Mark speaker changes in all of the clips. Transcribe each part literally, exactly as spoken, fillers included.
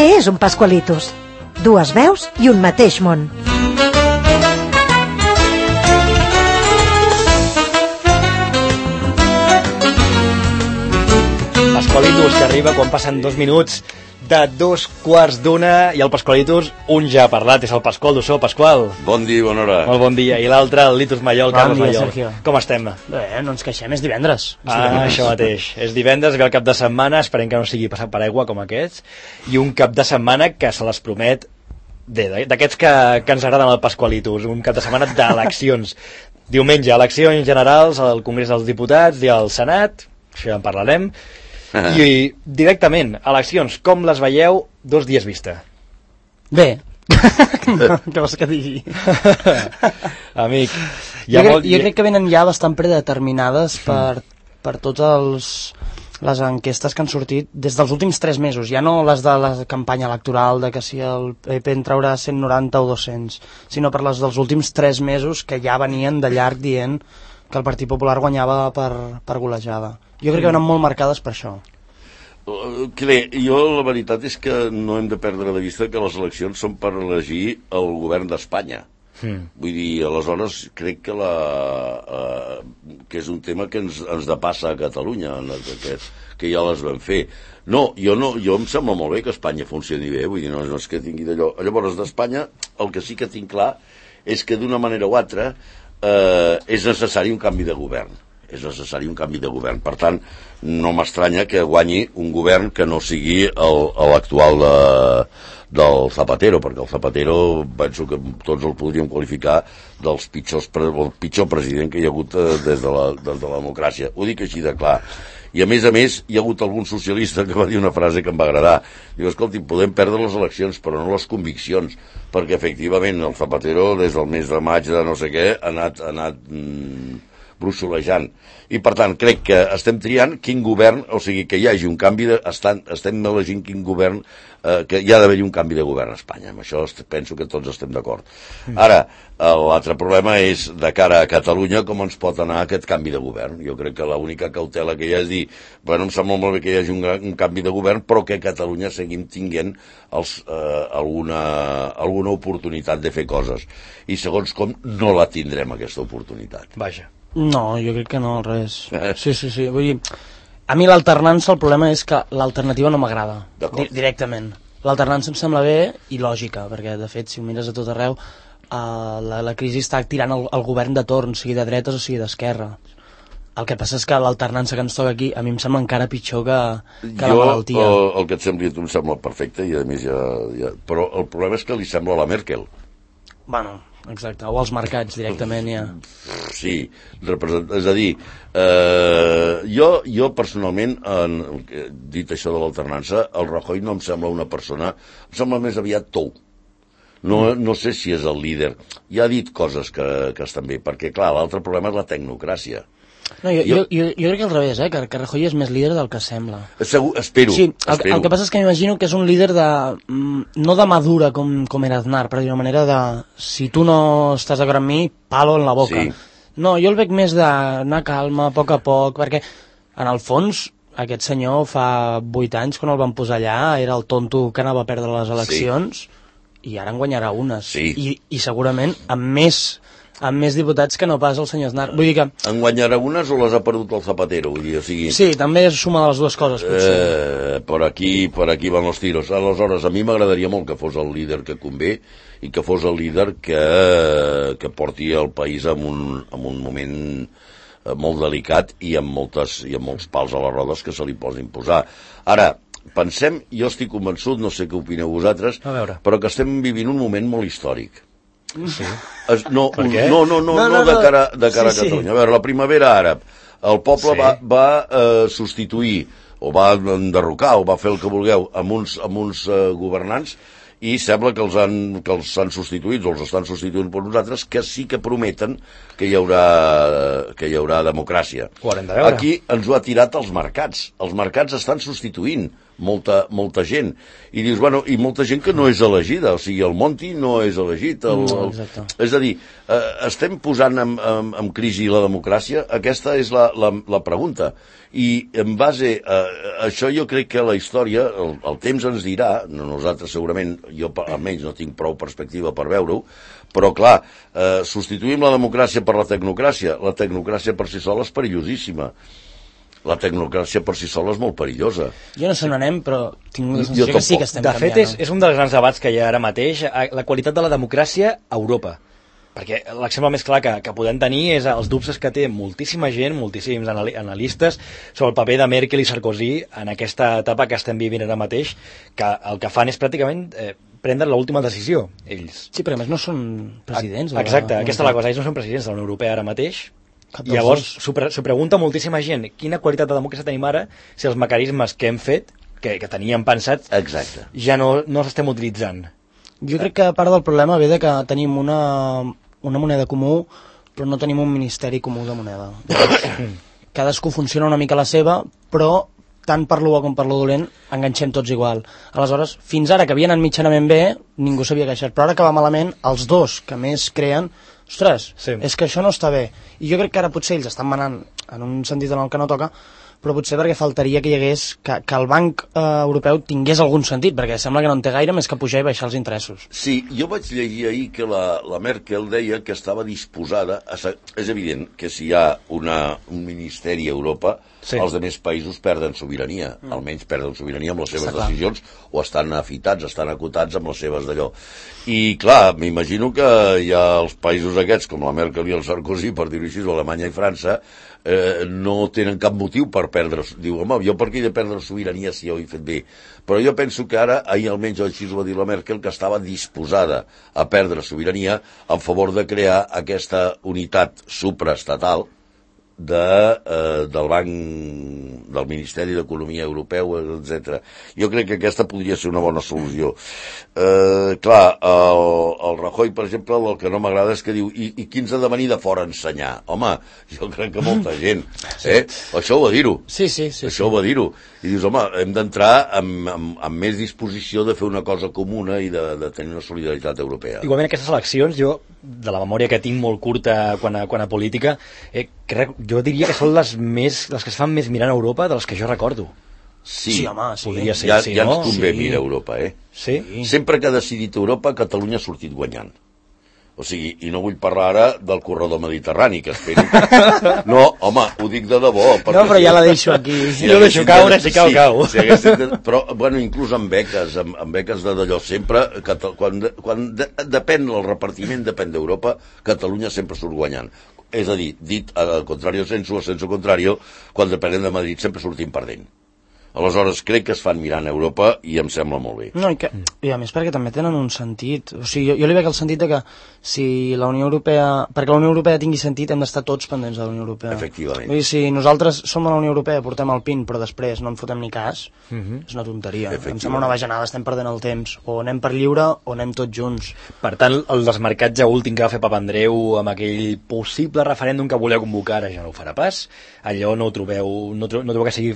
Speaker 1: Què és un Pascualitos? Dues veus i un mateix món.
Speaker 2: Pascualitos, que arriba quan passen dos minuts de dos quarts d'una, i el Pascualitos, un ja ha parlat, és el Pasqual d'Ossó. Pasqual.
Speaker 3: Bon dia, bona hora.
Speaker 2: Molt bon dia. I l'altre, el Litus Mallol,
Speaker 4: bon
Speaker 2: Carlos
Speaker 4: dia,
Speaker 2: Mallol.
Speaker 4: Sergio.
Speaker 2: Com estem?
Speaker 4: Bé, no ens queixem, és divendres. És
Speaker 2: ah,
Speaker 4: divendres.
Speaker 2: Això mateix. És divendres, ve el cap de setmana, esperem que no sigui passat per aigua com aquests, i un cap de setmana que se les promet d'aquests que, que ens agraden al Pascualitos, un cap de setmana d'eleccions. Diumenge, eleccions generals al Congrés dels Diputats i al Senat, això ja en parlarem. I directament, eleccions, com les veieu dos dies vista?
Speaker 4: Bé. No, què vols que digui?
Speaker 2: Amic,
Speaker 4: jo, crec, molt... jo crec que venen ja bastant predeterminades per, per totes les enquestes que han sortit des dels últims tres mesos, ja no les de la campanya electoral de que si el P P en traurà cent noranta o dos-cents, sinó per les dels últims tres mesos que ja venien de llarg dient que el Partit Popular guanyava per, per golejada. Jo crec que venen molt marcades per això.
Speaker 3: Bé, jo la veritat és que no hem de perdre de vista que les eleccions són per elegir el govern d'Espanya. Mm. Vull dir, aleshores crec que, la, uh, que és un tema que ens, ens depassa a Catalunya, que, que ja les vam fer. No, jo no, jo em sembla molt bé que Espanya funcioni bé, vull dir, no, no és que tingui d'allò. Llavors, d'Espanya, el que sí que tinc clar és que d'una manera o altra uh, és necessari un canvi de govern. És necessari un canvi de govern. Per tant, no m'estranya que guanyi un govern que no sigui l'actual de, del Zapatero, perquè el Zapatero penso que tots el podríem qualificar dels pitjors, el pitjor president que hi ha hagut des de la, des de la democràcia. Ho dic així de clar. I a més a més hi ha hagut algun socialista que va dir una frase que em va agradar. Diu, escolti, podem perdre les eleccions però no les conviccions, perquè efectivament el Zapatero des del mes de maig de no sé què ha anat... Ha anat mm, brussolejant. I per tant crec que estem triant quin govern, o sigui que hi hagi un canvi de, estan, estem elegint quin govern, eh, que hi ha d'haver-hi un canvi de govern a Espanya. Amb això penso que tots estem d'acord. Ara, l'altre problema és de cara a Catalunya com ens pot anar aquest canvi de govern. Jo crec que l'única cautela que hi ha és dir, bueno, em sembla molt bé que hi hagi un, un canvi de govern, però que a Catalunya seguim tinguent els, eh, alguna, alguna oportunitat de fer coses. I segons com no la tindrem aquesta oportunitat.
Speaker 2: Vaja.
Speaker 4: No, jo crec que no, al revés. Eh? Sí, sí, sí. Vull dir, a mi l'alternança, el problema és que l'alternativa no m'agrada, di directament. L'alternança em sembla bé i lògica, perquè, de fet, si ho mires a tot arreu, uh, la, la crisi està tirant el, el govern de torn, sigui de dretes o sigui d'esquerra. El que passa és que l'alternança que ens toca aquí a mi em sembla encara pitjor que, que jo, la malaltia.
Speaker 3: Jo, el, el que et sembli a tu em sembla perfecte, i a més ja, ja... Però el problema és que li sembla a la Merkel.
Speaker 4: Bueno... Exacte, o als mercats directament ja.
Speaker 3: Sí, és a dir, eh, jo, jo personalment, en, dit això de l'alternança, el Rajoy no em sembla una persona, em sembla més aviat tou. No, no sé si és el líder. Ja ha dit coses que, que estan bé, perquè clar, l'altre problema és la tecnocràcia.
Speaker 4: No, jo, jo, jo, jo crec que al revés, eh? que, que Rajoy és més líder del que sembla.
Speaker 3: Segur, espero.
Speaker 4: Sí, el,
Speaker 3: espero.
Speaker 4: el que passa és que m'imagino que és un líder de... no de madura com, com era Aznar, però d'una manera de... si tu no estàs d'acord amb mi, palo en la boca. Sí. No, jo el veig més d'anar calma, a poc a poc, perquè en el fons aquest senyor fa vuit anys, quan el van posar allà, era el tonto que anava a perdre les eleccions, sí. I ara en guanyarà unes.
Speaker 3: Sí.
Speaker 4: I, I segurament amb més... amb més diputats que no pas el senyor Aznar. Vull dir que...
Speaker 3: En guanyarà unes o les ha perdut el Zapatero? Vull dir, o sigui...
Speaker 4: Sí, també és suma de les dues coses, potser.
Speaker 3: Eh, per aquí, per aquí van els tiros. Aleshores, a mi m'agradaria molt que fos el líder que convé i que fos el líder que, que porti el país en un, en un moment molt delicat i amb, moltes, i amb molts pals a les rodes que se li posin posar. Ara, pensem, jo estic convençut, no sé què opineu vosaltres, però que estem vivint un moment molt històric.
Speaker 2: Sí.
Speaker 3: Es, no, un, no, no, no, no, no, de cara, de cara sí, a Catalunya. Sí. A veure, la primavera àrab, el poble sí. va, va eh, substituir, o va enderrocar, o va fer el que vulgueu, amb uns, amb uns eh, governants, i sembla que els, han, que els han substituït, o els estan substituint per nosaltres, que sí que prometen que hi haurà, que hi haurà democràcia.
Speaker 2: Ho haurem de veure.
Speaker 3: Aquí ens ho ha tirat els mercats. Els mercats estan substituint molta, molta gent. I dius, bueno, i molta gent que no és elegida, o sigui, el Monti no és elegit. El,
Speaker 4: No,
Speaker 3: el,
Speaker 4: exacte.
Speaker 3: és a dir, eh, estem posant en, en, en crisi la democràcia? Aquesta és la, la, la pregunta. I en base a, a això jo crec que la història, el, el temps ens dirà, no, nosaltres segurament, jo almenys no tinc prou perspectiva per veure-ho, però clar, eh, substituïm la democràcia per la tecnocràcia. La tecnocràcia per si sola és perillosíssima. La tecnocràcia per si sola és molt perillosa.
Speaker 4: Jo no sé on anem, però tinc la
Speaker 3: Jo
Speaker 4: sensació que sí
Speaker 3: tampoc.
Speaker 4: que estem
Speaker 2: De
Speaker 4: canviant.
Speaker 2: fet, és, és un dels grans debats que hi ha ara mateix, eh, la qualitat de la democràcia a Europa. Perquè l'exemple més clar que, que podem tenir és els dubtes que té moltíssima gent, moltíssims anali analistes, sobre el paper de Merkel i Sarkozy en aquesta etapa que estem vivint ara mateix, que el que fan és pràcticament eh, prendre l'última decisió, ells.
Speaker 4: Sí, perquè a més no són presidents.
Speaker 2: Exacte,
Speaker 4: de la...
Speaker 2: aquesta és la cosa, ells no són presidents de la Unió Europea ara mateix.
Speaker 4: Cap
Speaker 2: I
Speaker 4: dels
Speaker 2: llavors
Speaker 4: dos.
Speaker 2: s'ho pre s'ho pregunta moltíssima gent, quina qualitat de democràcia tenim ara si els mecanismes que hem fet, que, que teníem pensats,
Speaker 3: Exacte.
Speaker 2: ja no, no els estem utilitzant.
Speaker 4: Jo crec que part del problema ve de que tenim una, una moneda comú, però no tenim un ministeri comú de moneda. Cadascú funciona una mica la seva, però tant per lo bo com per lo dolent enganxem tots igual. Aleshores, fins ara que havien anat mitjanament bé, ningú s'havia queixat, però ara que va malament, els dos que més creen, ostres,
Speaker 2: Sí.
Speaker 4: és que això no està bé. I jo crec que ara potser ells estan manant en un sentit en el que no toca, però potser perquè faltaria que hi hagués, que, que el Banc eh, Europeu tingués algun sentit, perquè sembla que no en té gaire més que pujar i baixar els interessos.
Speaker 3: Sí, jo vaig llegir ahir que la, la Merkel deia que estava disposada a... És evident que si hi ha una, un ministeri a Europa,
Speaker 2: Sí.
Speaker 3: els altres països perden sobirania, mm. almenys perden sobirania amb les seves
Speaker 4: Està clar.
Speaker 3: decisions, o estan afitats, estan acotats amb les seves d'allò. I clar, m'imagino que hi ha els països aquests, com la Merkel i el Sarkozy, per dir-ho així, o Alemanya i França, eh, no tenen cap motiu per perdre... Diu, home, jo per què he de perdre sobirania si ho he fet bé? Però jo penso que ara, ahir almenys així ho va dir la Merkel, que estava disposada a perdre sobirania en favor de crear aquesta unitat supraestatal de, eh, del Banc, del Ministeri d'Economia Europeu, etcètera. Jo crec que aquesta podria ser una bona solució. Eh, clar, el, el Rajoy, per exemple, el que no m'agrada és que diu i, i qui ens ha de venir de fora a ensenyar? Home, jo crec que molta gent. Eh? Això ho va dir-ho.
Speaker 4: Sí, sí, sí.
Speaker 3: Això ho va dir-ho. I dius, home, hem d'entrar amb, amb, amb més disposició de fer una cosa comuna i de, de tenir una solidaritat europea.
Speaker 2: Igualment aquestes eleccions, jo, de la memòria que tinc molt curta quan a, quan a política, eh, crec, jo diria que són les més les que es fan més mirant a Europa de les que jo recordo.
Speaker 3: Sí,
Speaker 4: Sí, home, sí.
Speaker 2: Podria ser,
Speaker 3: ja,
Speaker 2: sí,
Speaker 3: ja
Speaker 2: no?
Speaker 3: ens convé
Speaker 4: Sí.
Speaker 3: mirar Europa, eh?
Speaker 2: Sí?
Speaker 3: Sempre que ha decidit Europa, Catalunya ha sortit guanyant. O sigui, i no vull parlar ara del corredor mediterrani, que espero que... No, home, ho dic de debò.
Speaker 4: No, però ja la deixo aquí.
Speaker 3: Si
Speaker 2: Jo deixo
Speaker 3: haguessin
Speaker 2: caure,
Speaker 3: de-
Speaker 2: si cau,
Speaker 3: sí,
Speaker 2: cau.
Speaker 3: Si haguessin de... Però, bueno, inclús amb beques, amb, amb beques de d'allò, sempre, Cata... quan, de, quan de, depèn, el repartiment depèn d'Europa, Catalunya sempre surt guanyant. És a dir, dit al contrario sensu, al sensu contrario, quan depenem de Madrid sempre sortim perdent. Aleshores, crec que es fan mirant a Europa i em sembla molt bé.
Speaker 4: No, i, que, i a més perquè també tenen un sentit. O sigui, jo, jo li veig el sentit de que si la Unió Europea... Perquè la Unió Europea tingui sentit hem d'estar tots pendents de la Unió Europea.
Speaker 3: Efectivament.
Speaker 4: Vull dir, si nosaltres som a la Unió Europea, portem el pin, però després no en fotem ni cas, uh -huh. és una tonteria. Em
Speaker 3: Efectivament.
Speaker 4: sembla una bajanada, estem perdent el temps. O anem per lliure o anem tots junts.
Speaker 2: Per tant, el desmarcatge últim que va fer Papandreou amb aquell possible referèndum que volia convocar ara ja no ho farà pas, allò no ho trobeu, no, tro no trobeu que sigui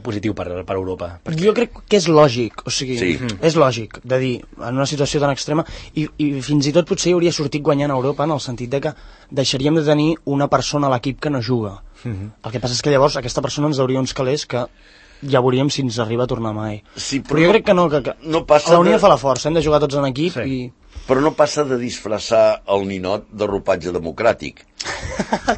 Speaker 2: positiu per, per Europa.
Speaker 4: Perquè... Jo crec que és lògic, o sigui,
Speaker 3: Sí.
Speaker 4: és lògic de dir, en una situació tan extrema, i, i fins i tot potser hi hauria sortit guanyant a Europa en el sentit de que deixaríem de tenir una persona a l'equip que no juga. Uh-huh. El que passa és que llavors aquesta persona ens dauria uns calés que ja veuríem si ens arriba a tornar mai.
Speaker 3: Sí, però
Speaker 4: però jo
Speaker 3: no-
Speaker 4: crec que no, que, que
Speaker 3: no passa
Speaker 4: la Unió
Speaker 3: de-
Speaker 4: fa la força, hem de jugar tots en equip
Speaker 2: Sí.
Speaker 4: i...
Speaker 3: Però no passa de disfressar el ninot de ropatge democràtic.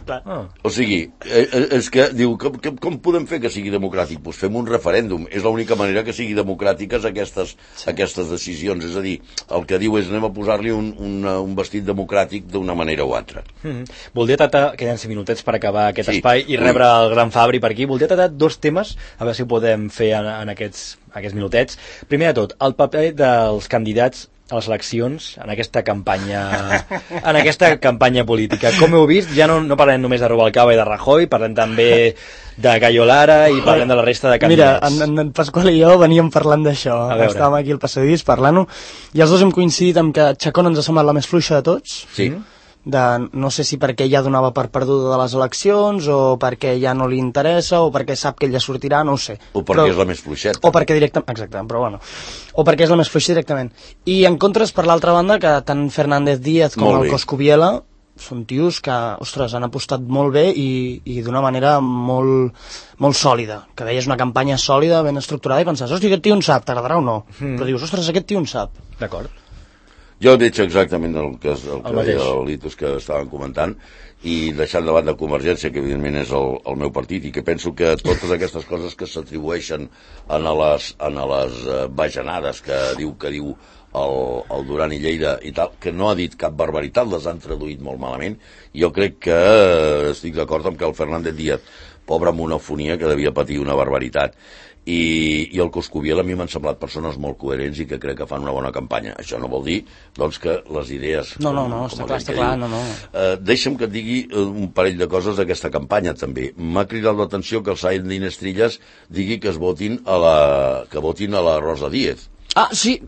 Speaker 2: Ah.
Speaker 3: O sigui, eh, eh, és que diu, com, com, com podem fer que sigui democràtic? Doncs fem un referèndum. És l'única manera que sigui democràtiques aquestes, sí. aquestes decisions. És a dir, el que diu és anem a posar-li un, un, un vestit democràtic d'una manera o altra.
Speaker 2: Mm -hmm. Voldria tratar, queden cinc minutets per acabar aquest
Speaker 3: Sí.
Speaker 2: espai i rebre el gran Fabri per aquí. Voldria tratar dos temes, a veure si ho podem fer en, en aquests, aquests minutets. Primer de tot, el paper dels candidats a les eleccions en aquesta campanya en aquesta campanya política. Com heu vist, ja no, no parlem només de Rubalcaba i de Rajoy, parlem també de Cayo Lara i parlem de la resta de
Speaker 4: Mira,
Speaker 2: candidats.
Speaker 4: en, en Pasqual i jo veníem parlant d'això.
Speaker 2: A veure.
Speaker 4: Estàvem aquí al passadís parlant-ho, i els dos hem coincidit en que Chacón ens ha semblat la més fluixa de tots,
Speaker 3: Sí.
Speaker 2: Mm-hmm.
Speaker 4: de no sé si perquè ja donava per perduda de les eleccions o perquè ja no li interessa o perquè sap que ella sortirà, no ho sé.
Speaker 3: O perquè però, és la més fluixeta.
Speaker 4: O perquè directament, exacte, però bueno. O perquè és la més fluixa directament. I en contres, per l'altra banda, que tant Fernández Díaz com el Coscubiela són tios que, ostres, han apostat molt bé i, i d'una manera molt, molt sòlida. Que veies una campanya sòlida, ben estructurada i pensaves, hosti, aquest tio en sap, t'agradarà o no? Mm. Però dius, ostres, aquest tio en sap.
Speaker 2: D'acord.
Speaker 3: Jo veig exactament el que, el que el deia el Litos que estaven comentant, i deixant de banda Convergència, que evidentment és el, el meu partit, i que penso que totes aquestes coses que s'atribueixen a les, a les bajanades que diu que diu el, el Duran i Lleida i tal, que no ha dit cap barbaritat, les han traduït molt malament. Jo crec que estic d'acord amb que el Fernández Díaz, pobre monofonia, que devia patir una barbaritat, i, i el Coscubiela a mi m'han semblat persones molt coherents i que crec que fan una bona campanya. Això no vol dir, doncs, que les idees...
Speaker 4: No, no, no, està clar, està clar, no, no.
Speaker 3: Eh, deixa'm que et digui un parell de coses d'aquesta campanya, també. M'ha cridat l'atenció que el Said Dinestrillas digui que es votin a la, que votin a la Rosa Díez.
Speaker 4: Ah, sí!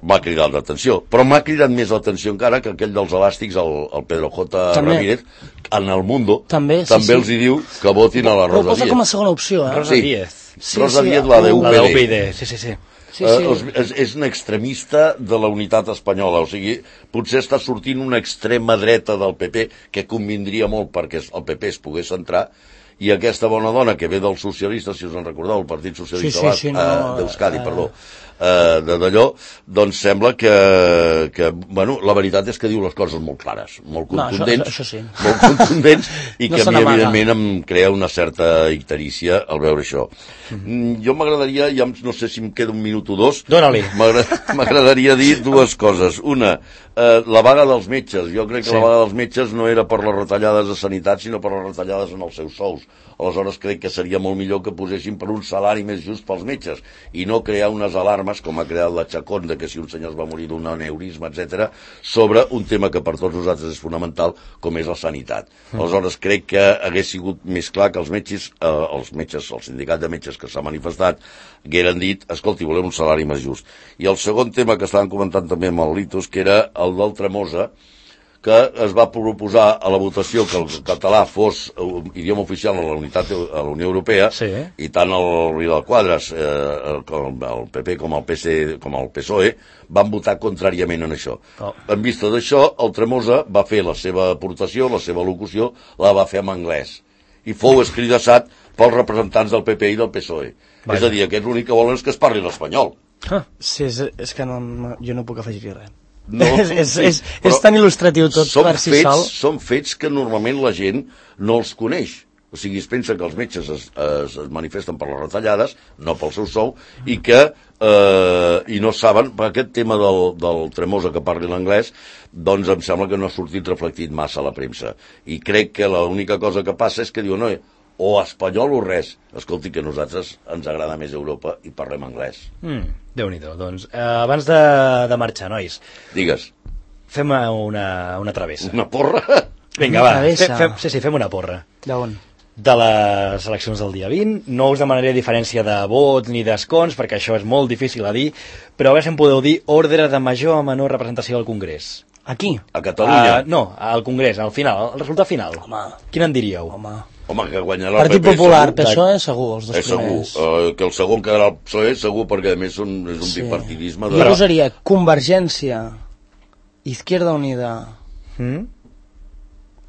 Speaker 3: M'ha cridat l'atenció, però m'ha cridat més l'atenció encara que aquell dels elàstics, el, el Pedro J.
Speaker 4: També.
Speaker 3: Ramírez, en el Mundo,
Speaker 4: també, sí,
Speaker 3: també
Speaker 4: sí.
Speaker 3: els hi diu que votin a la Rosa Díez.
Speaker 4: Ho posa com a segona opció, eh?
Speaker 2: Rosa sí. Díez.
Speaker 3: Sí, Rosa sí, Díez, la de U P D.
Speaker 2: La de U P D, sí, sí, sí.
Speaker 4: Sí, sí.
Speaker 3: Uh, és, és un extremista de la unitat espanyola, o sigui, potser està sortint una extrema dreta del P P, que convindria molt perquè el P P es pogués centrar, i aquesta bona dona que ve dels socialistes, si us en recordeu, el Partit Socialista
Speaker 4: sí, sí, sí, no,
Speaker 3: uh, d'Euskadi, uh, perdó, uh, de d'allò, doncs sembla que, que, bueno, la veritat és que diu les coses molt clares, molt contundents,
Speaker 4: no, això, això, això sí.
Speaker 3: molt contundents, i
Speaker 4: no
Speaker 3: que a mi, evidentment, em crea una certa icterícia al veure això. Mm-hmm. Jo m'agradaria, ja no sé si em queda un minut o dos,
Speaker 2: dóna-li.
Speaker 3: M'agradaria dir dues coses. Una, eh, la vaga dels metges. Jo crec que sí. La vaga dels metges no era per les retallades de sanitat, sinó per les retallades en els seus sous. Aleshores crec que seria molt millor que posessin per un salari més just pels metges i no crear unes alarmes, com ha creat la Chacón, de que si un senyor es va morir d'un aneurisma, etcètera, sobre un tema que per tots nosaltres és fonamental, com és la sanitat. Mm. Aleshores crec que hagués sigut més clar que els metges, eh, els metges, el sindicat de metges que s'ha manifestat, hagueren dit, escolti, volem un salari més just. I el segon tema que estaven comentant també amb el Litos, que era el del Tremosa, que es va proposar a la votació que el català fos idioma oficial a la unitat a la Unió Europea,
Speaker 2: sí.
Speaker 3: I tant el Vidal Quadras, eh, el, el P P com el P C, com el P S O E, van votar contràriament en això. Oh. En vista d'això, el Tremosa va fer la seva aportació, la seva locució, la va fer en anglès. I fou escridassat pels representants del P P i del P S O E. Vaja. És a dir, aquests l'únic que volen és que es parli l'espanyol.
Speaker 4: Ah. Sí, és, és que no, no, jo no puc afegir res.
Speaker 3: No,
Speaker 4: és, és, és, és tan il·lustratiu tot per si
Speaker 3: fets,
Speaker 4: sol.
Speaker 3: Són fets que normalment la gent no els coneix. O sigui, es pensa que els metges es, es, es manifesten per les retallades, no pel seu sou, i que eh, i no saben, per aquest tema del, del Tremosa que parli l'anglès, doncs em sembla que no ha sortit reflectit massa a la premsa. I crec que l'única cosa que passa és que diu, no, o espanyol o res. Escolti, que a nosaltres ens agrada més Europa i parlem anglès.
Speaker 2: Mm, Déu-n'hi-do. Doncs, eh, abans de, de marxar, nois.
Speaker 3: Digues.
Speaker 2: Fem una, una travessa.
Speaker 3: Una porra?
Speaker 2: Vinga,
Speaker 4: una
Speaker 2: va.
Speaker 4: Travessa.
Speaker 2: Fem, fem, sí, sí, fem una porra.
Speaker 4: D'on?
Speaker 2: De les eleccions del dia vint. No us demanaré diferència de vots ni d'escons, perquè això és molt difícil a dir, però a veure si em podeu dir ordre de major a menor representació al Congrés.
Speaker 4: Aquí?
Speaker 3: A Catalunya?
Speaker 2: Uh, no, al Congrés, al final, el resultat final.
Speaker 4: Home.
Speaker 2: Quin en diríeu?
Speaker 4: Home.
Speaker 3: Home, que guanyarà el
Speaker 4: Partit
Speaker 3: P P
Speaker 4: Popular,
Speaker 3: segur.
Speaker 4: P S O E segur, els dos
Speaker 3: és segur.
Speaker 4: primers.
Speaker 3: Uh, que el segon quedarà el P S O E segur, perquè a més són, és un sí. bipartidisme de...
Speaker 4: Jo posaria Convergència, Izquierda Unida.
Speaker 2: Mm?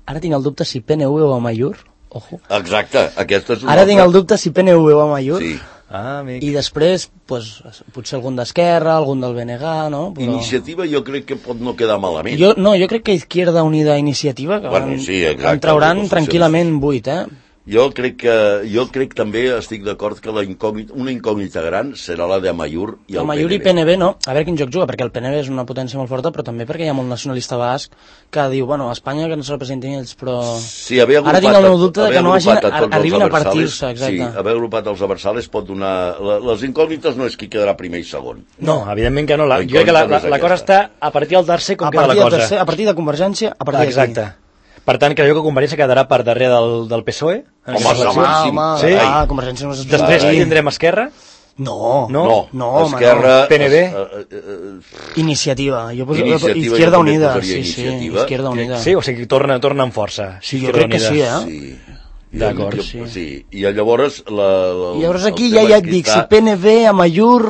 Speaker 4: Ara tinc el dubte si P N V o Amaiur. Ojo.
Speaker 3: Exacte, aquesta és una
Speaker 4: Ara
Speaker 3: altra...
Speaker 4: tinc el dubte si P N V o Amaiur.
Speaker 3: Sí.
Speaker 2: Ah, amic.
Speaker 4: I després, pues, potser algun d'Esquerra, algun del B N G, no? Però...
Speaker 3: Iniciativa jo crec que pot no quedar malament.
Speaker 4: Jo, no, jo crec que Izquierda Unida Iniciativa, que
Speaker 3: bueno, sí, exacte,
Speaker 4: en trauran tranquil·lament vuit, eh?
Speaker 3: Jo crec que jo crec també estic d'acord que la incògnita, una incògnita gran serà la de Amaiur i el
Speaker 4: Amaiur
Speaker 3: P N V.
Speaker 4: i P N V no, a veure quin joc juga, perquè el P N V és una potència molt forta, però també perquè hi ha molt nacionalista basc que diu, bueno, a Espanya que no se representin ells, però...
Speaker 3: Sí, haver agrupat,
Speaker 4: ara tinc el meu dubte de que no hagin,
Speaker 3: a
Speaker 4: arribin a partir-se, exacte.
Speaker 3: Sí, haver agrupat els abersales pot donar... La, les incògnites no és qui quedarà primer i segon.
Speaker 2: No, evidentment que no. La, jo crec que la, la, la cosa està a partir del tercer, com
Speaker 4: a
Speaker 2: queda la cosa.
Speaker 4: Tercer, a partir de Convergència, a partir
Speaker 2: exacte.
Speaker 4: d'aquí.
Speaker 2: Per tant, creu que Convergència quedarà per darrere del, del P S O E?
Speaker 3: Home,
Speaker 4: home, home,
Speaker 2: sí?
Speaker 4: ah, Convergència no és...
Speaker 2: Després
Speaker 3: Ai.
Speaker 2: tindrem Esquerra?
Speaker 4: No,
Speaker 2: No?
Speaker 3: No,
Speaker 4: no, home,
Speaker 3: Esquerra...
Speaker 2: no. P N B?
Speaker 3: es- eh, eh,
Speaker 4: Iniciativa. Jo poso,
Speaker 3: Iniciativa,
Speaker 4: Izquierda
Speaker 3: jo també
Speaker 4: Unida.
Speaker 3: posaria
Speaker 4: Sí, sí,
Speaker 3: Iniciativa.
Speaker 4: Izquierda
Speaker 3: Crec-
Speaker 4: Unida.
Speaker 2: Sí, o sigui, torna, torna amb força.
Speaker 4: Sí, jo
Speaker 2: Izquierda
Speaker 4: crec que
Speaker 2: Unida.
Speaker 4: sí, eh?
Speaker 3: sí. I
Speaker 2: D'acord,
Speaker 3: jo-
Speaker 4: sí.
Speaker 3: sí. I llavors... La, la,
Speaker 4: I llavors aquí
Speaker 3: el
Speaker 4: ja,
Speaker 3: tema
Speaker 4: ja
Speaker 3: és
Speaker 4: et
Speaker 3: que
Speaker 4: dic,
Speaker 3: està-
Speaker 4: si P N V, Amallur,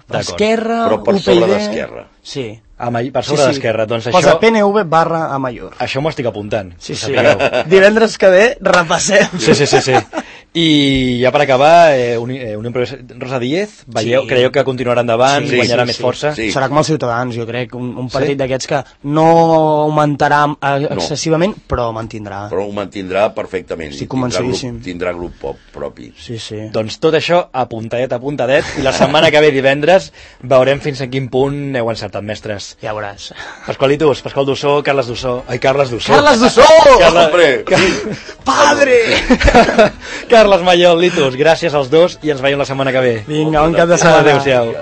Speaker 2: D'acord.
Speaker 4: Esquerra,
Speaker 3: Però per
Speaker 4: U P
Speaker 3: sobre
Speaker 4: y D...
Speaker 3: d'Esquerra.
Speaker 4: Sí.
Speaker 2: Amb, per sobre d'Esquerra, doncs
Speaker 4: Posa
Speaker 2: això...
Speaker 4: P N V barra Amallur.
Speaker 2: Això m'ho estic apuntant.
Speaker 4: Sí,
Speaker 2: que
Speaker 4: sí.
Speaker 2: sapigueu.
Speaker 4: Divendres que ve repassem.
Speaker 2: Sí, sí, sí, sí. I ja per acabar, eh, Uni, eh, Unió Progressista, Rosa Díez, veieu,
Speaker 4: Sí.
Speaker 2: creieu que continuarà endavant,
Speaker 3: Sí,
Speaker 2: guanyarà
Speaker 3: sí,
Speaker 2: més
Speaker 3: sí.
Speaker 2: força?
Speaker 3: Sí.
Speaker 4: Serà com els Ciutadans, jo crec, un, un partit
Speaker 2: Sí?
Speaker 4: d'aquests que no augmentarà eh, excessivament, però mantindrà.
Speaker 3: Però ho mantindrà perfectament.
Speaker 4: Estic
Speaker 3: i tindrà
Speaker 4: convençudíssim.
Speaker 3: grup, tindrà grup pop propi.
Speaker 4: Sí, sí.
Speaker 2: Doncs tot això apuntadet, apuntadet, i la setmana que ve divendres veurem fins a quin punt heu encertat, mestres.
Speaker 4: Ja veuràs.
Speaker 2: Pasqualitos, Pasqual Dussó, Carles Dussó... Ai, Carles Dussó.
Speaker 4: Carles Dussó!
Speaker 2: Carles-
Speaker 3: Hombre,
Speaker 4: Padre!
Speaker 2: Carles Mallol, Litos, gràcies als dos i ens veiem la setmana que ve.
Speaker 4: Vinga, bon cap de setmana.
Speaker 2: Adéu-siau.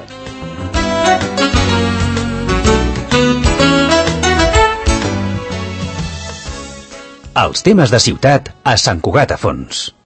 Speaker 5: Els temes de ciutat a Sant Cugat a Fons.